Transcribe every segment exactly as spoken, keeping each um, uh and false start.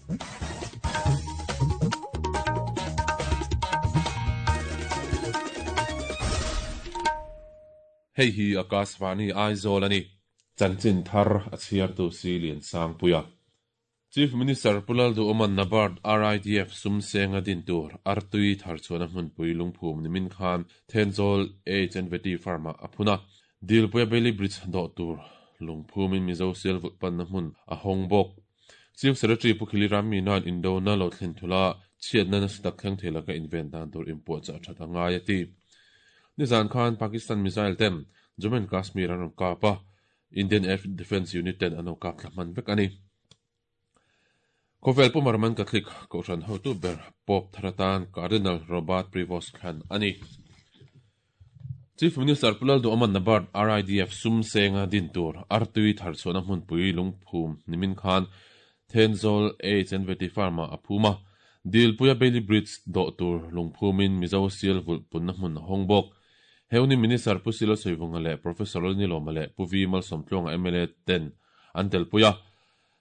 Hei hi Akashvani Aizawl ani. Chanchin thar a chhiar tu si lian sang puia. Chief Minister Pulal du Oman Nabard R I D F sum senga din tur artui thar chuan a hmunpui lungphum nimin khan Thenzawl H and Veti Pharma aphuna Dilpuia Bailey Bridge do tur lungphumin Mizo Sial vulh na hmun a hawng bawk. Chief Secretary Pukhili Ram Minan Indona lo thlen thula chhiatna nasa tak thleng thei laka inven dan tur inpuah chah that a ngai a ti. Nizan khan Pakistan missile ten Jammu and Kashmir an rawn kap a, Indian Air Defence Unit ten an lo kap thla hman vek ani. Khawvel pumar man Catholic kohhran hotu ber Pope Tharatan Cardinal Robert Prevost thlan ani. Chief Minister Pulal du Oman Nabard R I D F sum senga din tur artui thar chuan a hmunpui lungphum nimin khan Thenzawl H and Veti Pharma aphuma Dilpuia Bailey Bridge do tur lungphumin Mizo Sial vulh punna hmun a hawng bawk. Heuni Minister Pusilo Soivunga leh Professor Niloma leh Puvi Malsawmtluanga M L A ten an telpuia.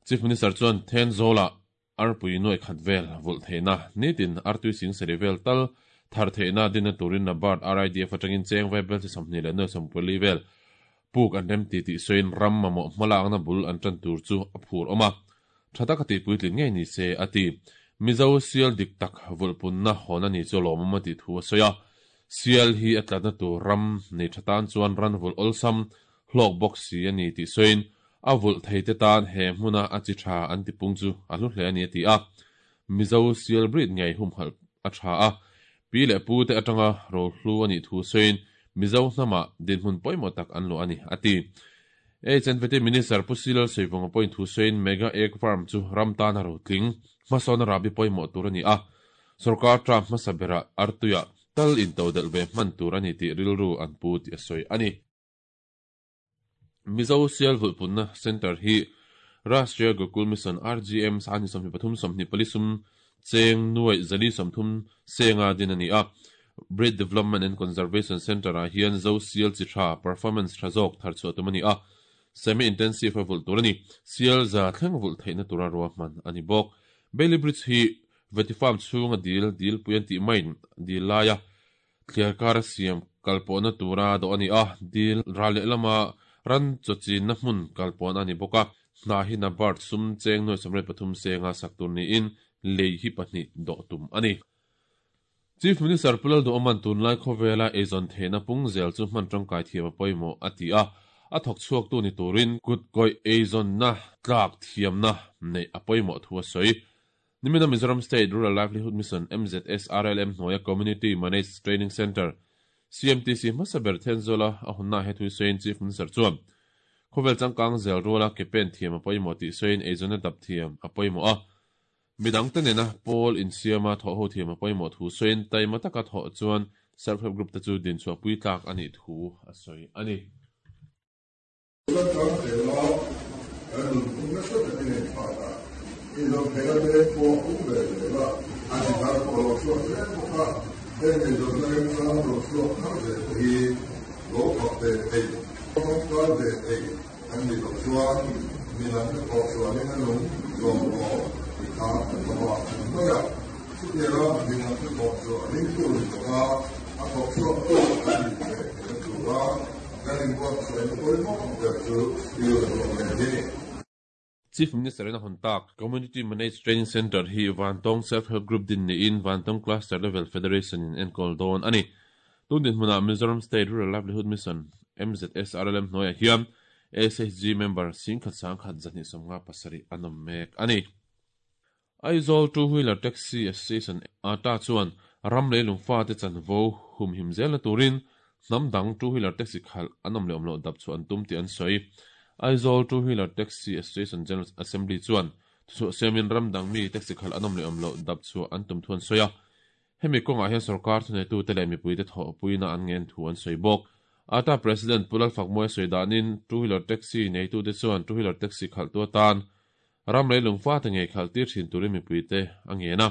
Chief Minister chuan Thenzawla arpui nuai khat vel vulh theihna nitin artui sing seri vel tal thar theihna dinna turin Nabard R I D F atangin cheng vai bel chi sawmhnih leh nuai sawmpuli vel puk an rem ti tih sawiin ram mamawh hmalakna bul an tan tur chu a phur awm a. Tha taka tihpuitlin ngei ni se a ti. Mizo Sial dik tak vulh punna hawn ani chu lawmawm a tih thu a sawi a. Sial hi a tlatna tur ram nei tha tan chuan ran vulh awlsam hlawk bawk si ani tih sawiin a vulh thei te tan he hmuna a chi tha an ti pung chu a hlu hle ani a ti a. Mizo Sial breed ngei humhalh a tha a. Pi leh pu te atanga ro hlu ani thu sawiin Mizo hnama dinhmun pawimawh tak an lu ani a ti. H and Veti Minister Pusilal Soivunga pawhin thu sawiin Mega Egg Farm chu ram tan a ro tling hmasawn a rabi pawimawh tur ani a. Sarkar tram hmasa bera artuia tal in to del ve hman tur ani tih rilru an pu tih a sawi ani. Mizo Sial vulh punna Center hi Rashtriya Gokul Mission R G M sani sawmhnih pathum sawmhnih pali sum cheng nuai zali sawmthum senga din ani a. Breed Development and Conservation Center ah hian Zo Sial chi tha performance tha zawk thar chhuah tum ani a. Semi intensive a vulh tur ani. Sial za thleng vulh theihna tura ruah hman ani bawk. Bailey Bridge hi Veti Farm chhunga dil dil puian tih maiin dil laia thliar kar a siam kalpawhna tura dawh ani a. Dil ral leh lama ran chawchinna hmun kalpawhna ani bawk a. Hna hi Nabard sum cheng nuai sawmriat pathum senga sak tur niin lei hi pahnih dawh tum ani. Chief Minister Pulal du Oman tunlai khawvela eizawn theihna pung zel chu hman tangkai thiam a pawimawh a ti a. A thawk chhuak tu ni turin kut kawih eizawnna tlak thiamna nei a pawimawh thu a sawi. Nimina Mizoram State Rural Livelihood Mission M Z S R L M hnuaia Community Managed Training Center C M T C hmasa ber Thenzawla a hunna he thui sawiin Chief Minister chuan khawvel changkang zel ruala ke pen thiam a pawimawh tih sawiin eizawnna dap thiam a pawimawh a. Midang te nena pawl insiama thawh ho thiam a pawimawh thu sawiin taima taka thawh chuan self help group te chu din chhuah pui tlak ani thu a sawi ani. Chief Minister in a hun tak Community Managed Training Center hi Vantawng Self Help Group din niin Vantawng Cluster Level Federation in enkawl dawn ani. Tun din hmuna Mizoram State Rural Livelihood Mission M Z S R L M hnuaiah hian S H G member singkhat sangkhat zahnih sawmnga pasarih an awm mek ani. Aizawl Two Wheeler Taxi Association ata chuan ram leilung fa te chanvo humhim zelna turin hnam dang Two Wheeler Taxi khal an awm leh awm loh dap chu an tum tih an sawi. Aizawl Two Wheeler Taxi Association General Assembly chuan thuchhuah siamin ram dang mi taxi khal an awm leh awm loh dap chu an tum thu an sawi a. Hemi kawngah hian sarkar thuneitu te leh mipui te thawh puina an ngen thu an sawi bawk. Ata President Pulal Fakmawi sawi danin Two Wheeler Taxi neitu te chuan Two Wheeler Taxi khal tu atan ram leilung fa te ngei khal tir thin turin mipui te a ngen a.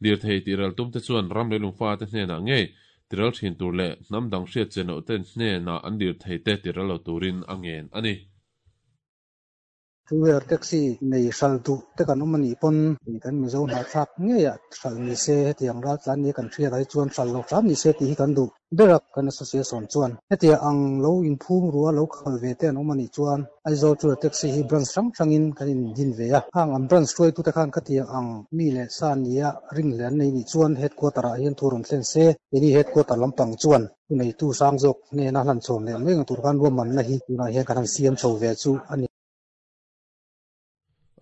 Lir thei tiral tum te chuan ram leilung fa te hnenah ngei tiral thin tur leh hnam dang hriat chen loh ten hnenah an lir thei te tiral lo turin a ngen ani. Two wheeler taxi nei hral duh te kan awm anih pawn kan Mizo hnahthlak ngeiah hral ni se hetiang ral tlan ni kan hriat ai chuan hral lo hram ni se tih hi kan duh ber a kan association chuan hetiang ang lo inphum rua lo khal ve te an awm anih chuan Aizawl two wheeler taxi hi branch hrang hrangin kan in din ve a khang an branch hruaitu te khan khatiang ang mi leh sa nia ring hle an nei nih chuan headquarter ah hian thu rawn thlen se keini headquarter lampang chuan thu neitu sang zawk hnena hlan chhawn leh mai ang tur khan ruahmanna hi tunah hian kan han siam chho ve chu a ni.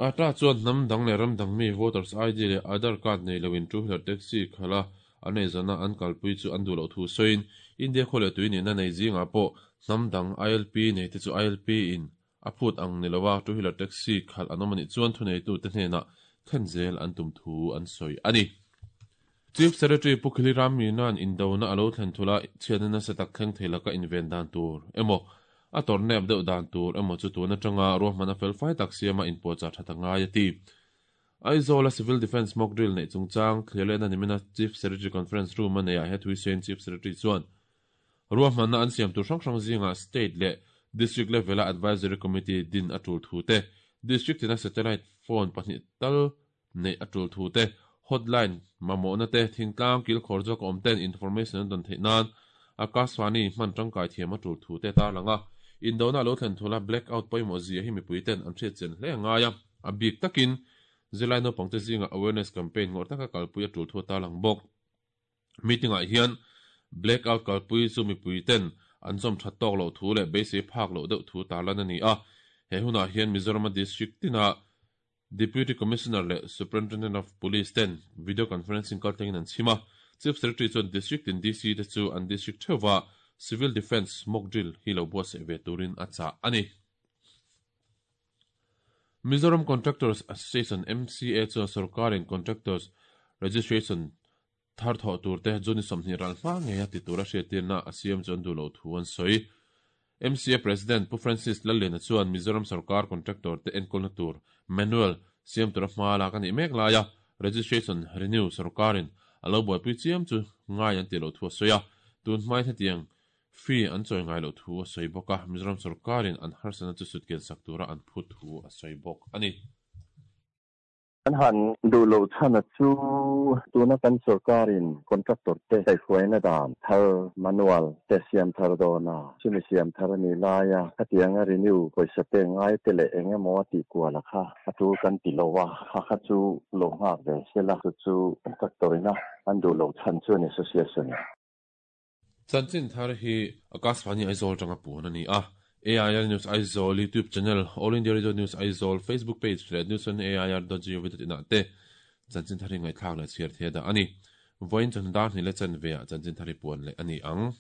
Ata chuan hnam dang leh ram dang mi voters I D leh Aadhaar card nei loin two wheeler taxi khala an ei zana an kalpui chu an duh loh thu sawiin India khaw leh tui nihna nei zingah pawh hnam dang I L P nei te chu I L P in a phut ang ni lowa two wheeler taxi khalh an awm anih chuan thu neitu te hnenah thlen zel an tum thu an sawi a ni. Chief Secretary Pu Khili Ram Minan indona alo thlen thula chhiatna nasa tak thleng thei laka inven dan tur emaw a tor nep deuh dan tur emaw chu tun atanga ruahman a fel fai tak siama inpuahchah that angai a ti. Aizawl a Civil Defence mock drill neih chungchang thlir lehna nimina Chief Secretary Conference Room a neiah he thui sawiin Chief Secretary chuan ruahmanna an siam tur hrang hrang zingah state leh district level a advisory committee din a tul thu te, district tina satellite phone pahnih tal neih a tul thu te, hotline mamawhna te, thingtlang kil khawr zawk awm ten information an dawn theih nan Akashvani hman tangkai thiam a tul thu te tarlang a. Indona lo thlen thula blackout pawimawh zia hi mipui ten an hriat chian hle angai a, a bik takin zirlai naupang te zinga awareness campaign ngawrh taka kalpui a tul thu tarlang bawk. Meeting ah hian blackout kalpui chu mipui ten an zawm that tawk loh thu leh beisei phak loh deuh thu tarlan a ni a. He hunah hian Mizoram district tina Deputy Commissioner leh Superintendent of Police ten video conferencing kaltlangin an chhim a. Chief Secretary chuan district in D C te chu an district theuha Civil Defence mock drill hi lo buatsaih ve turin a chah a ni. Mizoram Contractors Association M C A chuan sarkarin contractors registration thar thawh tur te June sawmhnih ral hma ngei a ti tur a hriattirna a siam chu an duh loh thu an sawi. M C A President Pu Francis Lalliana chuan Mizoram sarkar contractor te enkawlna tur manual siam tura hma lak anih mek laia registration renew sarkarin a lo buaipui chiam chu ngai an ti loh thu a sawi a. Tun hmai hetiang fee an chawi ngai loh thu a sawi bawk a. Mizoram sarkarin an harsatna chu sutkian sak tura an phut thu a sawi bawk a ni. An han duh loh chhan a chu tuna kan sarkarin contractor te kaihhruaina dan thar manual te siam thar dawna chumi siam thar ani laia khatianga renew pawisa te ngai te leh engemaw a tih kual a kha a tul kan ti lo a kha kha chu lo nghak ve sela chu chu contractor ina an duh loh chhan chu an association. Chanchin thar hi Akashvani Aizawl tanga puan ani a. A I R News Aizawl YouTube channel, All India Radio News Aizawl Facebook page leh news on A I R dot gov dot in ah te chanchin thar hi ngaihthlak leh chhiar thei da ani. Voin chan dar hnih leh chanve ah chanchin thar hi puan leh ani ang.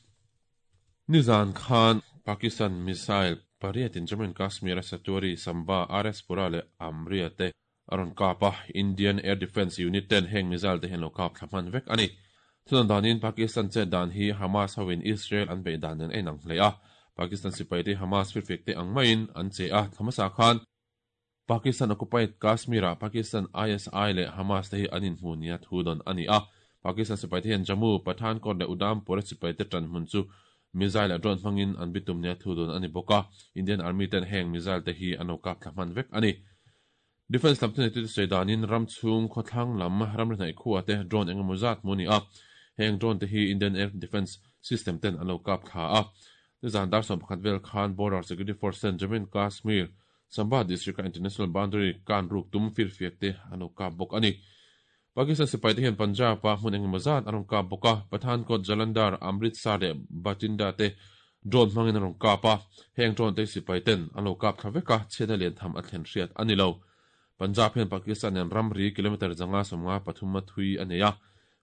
Nizan khan Pakistan missile pariat in Jammu and Kashmir a Satuari, Samba, R S Pura leh Amria te aron kapa. Indian Air Defence Unit ten heng missile te hian lo kap thlahman vek ani. Thunan danin Pakistan che dan hi Hamas hoin Israel an bei dan nen ein ang hle a. Pakistan sipai te Hamas firfek te ang maiin an che a. Thamasa khan Pakistan occupied Kashmir a Pakistan I S I leh Hamas te hi an in hmu nia thu don ani a. Pakistan sipai te hian Jammu, Pathankot leh Udhampur sipai te tran hmun chu missile a drone hmangin an bitum nia thu don ani bawk a. Indian Army ten heng missile te hi an lo kap thlahman vek ani. Defense lam thunei tu te sawi danin ram chhung khawthlang lam ram ri hnaih khuwa te drone engemaw zat hmu ani a. Heng drone te hi Indian Air Defence System ten an lo kap thla a. Zan dar sawm pakhat vel khan Border Security Force ten Jammu and Kashmir Samba district international boundary kan ruk tum firfiak te an lo kap bawk ani. Pakistan sipai te hian Punjab a hmun engemaw zat an rawn kap bawk a. Pathankot, Jalandhar, Amritsar leh Bathinda te drone hmangin an rawn kap a. Heng drone te sipai ten an lo kap thla vek a, chhiatna lian tham a thlen hriat ani lo. Punjab hian Pakistan nen ramri kilometer zanga sawmnga pathum a thui a nei a.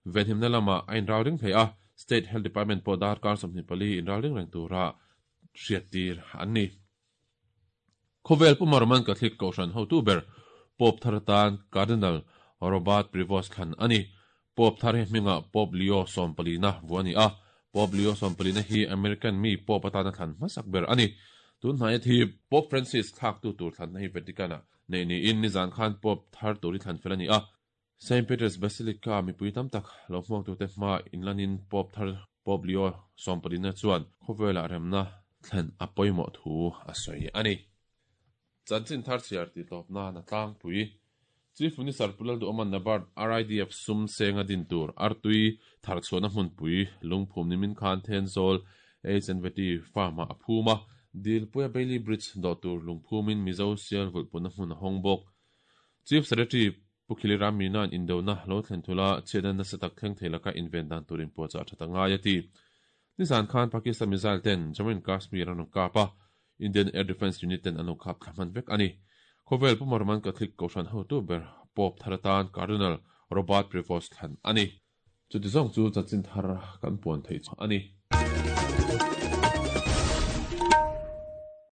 Venhimna lama a inral ring thei a. State Health Department pawh darkar sawmhnih pali inral ring reng tura hriat tir an ni. Khawvel Puma Roman Catholic Kohhran hotu ber Pope thar atan Cardinal Robert Prevost thlan ani. Pope thar hi hminga Pope Leo sawmpalina vu ani a. Pope Leo sawmpalina hi American mi Pope atana thlan hmasak ber ani. Tun hnai thi Pope Francis thlak tu tur thlan hi Vatican a nei ni in nizan khan Pope thar turi thlan fel ani a. Saint Peter's Basilica mipui tam tak lo hmuak tu te hma inlanin Pope thar Pope Leo sawmpalina chuan khawvela remna thlen a pawimawh thu a sawi ani. Chanchin thar chhiar tih tawp nan a tlangpui. Chief Minister Pu Lalduhawman NABARD RIDF sum senga din tur artui thar chhuahna hmunpui lungphum nimin khan Thenzawl H&V farm-ah a phum a, Dilpuia Bailey Bridge dawh tur lungphumin Mizo sial vulhpuna hmun a hawng bawk. Chief Secretary Pu Khili Ram Mina'n indona lo thlen thula chhiatna nasa tak thleng thei laka inven dan tur inpuahchah a that a ngai a ti. Nizan khan Pakistan missile ten Jammu and Kashmir an rawn kap a, Indian Air Defence Unit ten an lo khap thla hman vek a ni. Khawvel Pu Roman Catholic Kohhran hotu ber Pope thar atan Cardinal Robert Prevost thlan a ni. Chuti zawng chu chanchin thar kan puan theih a ni.